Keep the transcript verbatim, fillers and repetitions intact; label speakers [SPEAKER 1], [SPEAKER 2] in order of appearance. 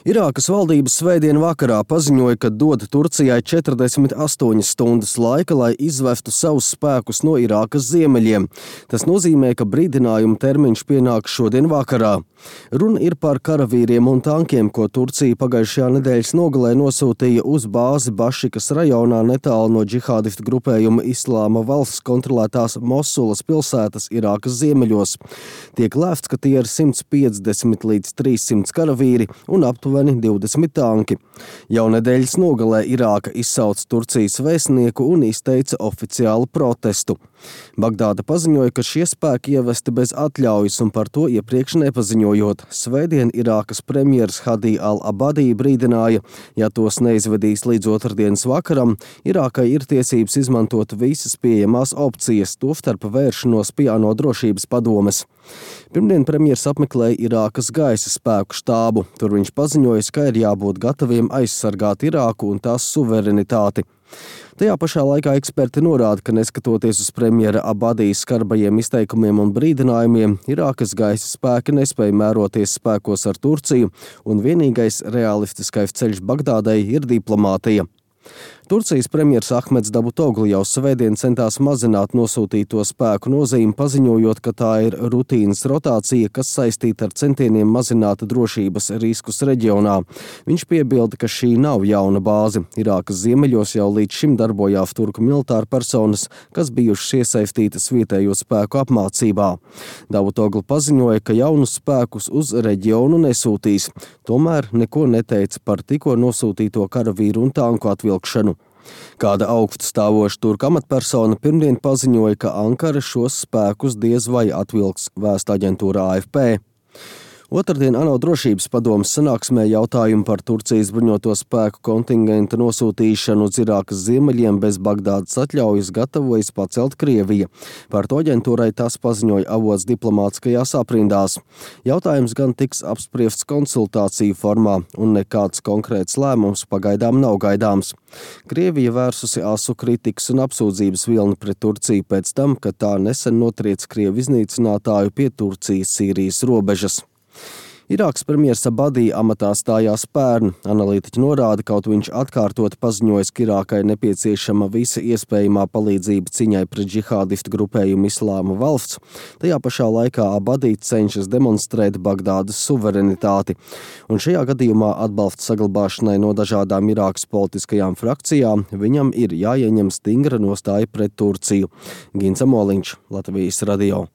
[SPEAKER 1] Irākas valdības svētdien vakarā paziņoja, ka dod Turcijai četrdesmit astoņas stundas laika, lai izvestu savus spēkus no Irākas ziemeļiem. Tas nozīmē, ka brīdinājuma termiņš pienāk šodien vakarā. Runa ir par karavīriem un tankiem, ko Turcija pagājušajā nedēļas nogalē nosūtīja uz bāzi Bašikas rajonā netālu no džihādistu grupējuma Islāma valsts kontrolētās Mosulas pilsētas Irākas ziemeļos. Tiek lēsts, ka tie ir simts piecdesmit līdz trīssimts karavīri un aptuveni divdesmit tanki. Jau nedēļas nogalē Irāka izsauca Turcijas vēstnieku un izteica oficiālu protestu. Bagdāda paziņoja, ka šie spēki ievesti bez atļaujas un par to iepriekš nepaziņojot. Svētdien Irākas premjers Hadi al-Abadi brīdināja, ja tos neizvedīs līdz otrdienas vakaram, Irākai ir tiesības izmantot visas pieejamās opcijas, tostarp vēršanos pie ANO drošības padomes. Pirmdien premjers apmeklēja Irākas gaisa spēku štābu. Tur viņš paziņoja, ka ir jābūt gataviem aizsargāt Irāku un tās suverenitāti. Tajā pašā laikā eksperti norāda, ka neskatoties uz premjera Abadijas skarbajiem izteikumiem un brīdinājumiem, Irākas gaisa spēki nespēja mēroties spēkos ar Turciju, un vienīgais realistiskais ceļš Bagdādai ir diplomātija. Turcijas premjers Ahmeds Davutoglu jau svētdien centās mazināt nosūtīto spēku nozīmi, paziņojot, ka tā ir rutīnas rotācija, kas saistīta ar centieniem mazināt drošības riskus reģionā. Viņš piebilda, ka šī nav jauna bāze. Irākas ziemeļos jau līdz šim darbojās turku militāru personas, kas bijušas iesaistītas vietējo spēku apmācībā. Davutoglu paziņoja, ka jaunus spēkus uz reģionu nesūtīs. Tomēr neko neteica par tikko nosūtīto karavīru un tanku atvilkšanu. Kāda augststāvoša turka amatpersona pirmdien paziņoja, ka Ankara šos spēkus diez vai atvilks, vēsta aģentūra A F P. Otrdien ANO drošības padomes sanāksmē jautājumu par Turcijas bruņoto spēku kontingenta nosūtīšanu uz Irākas ziemeļiem bez Bagdādas atļaujas gatavojas pacelt Krievija. Par to aģentūrai tas paziņoja avots diplomātiskajās aprindās. Jautājums gan tiks apspriests konsultāciju formā, un nekāds konkrēts lēmums pagaidām nav gaidāms. Krievija vērsusi asu kritikas un apsūdzības vilni pret Turciju pēc tam, kad tā nesen notriec Krievu iznīcinātāju pie Turcijas-Sīrijas robežas. Irākas premjers Abadi amatā stājās pērn. Analītiķi norāda, kaut viņš atkārtot paziņojis, ka Irākai nepieciešama visa iespējamā palīdzība ciņai pret džihādistu grupējumu Islāma valsts. Tajā pašā laikā Abadi cenšas demonstrēt Bagdādas suverenitāti. Un šajā gadījumā atbalsta saglabāšanai no dažādām Irākas politiskajām frakcijām viņam ir jāieņem stingra nostāja pret Turciju. Gins Amoliņš, Latvijas radio.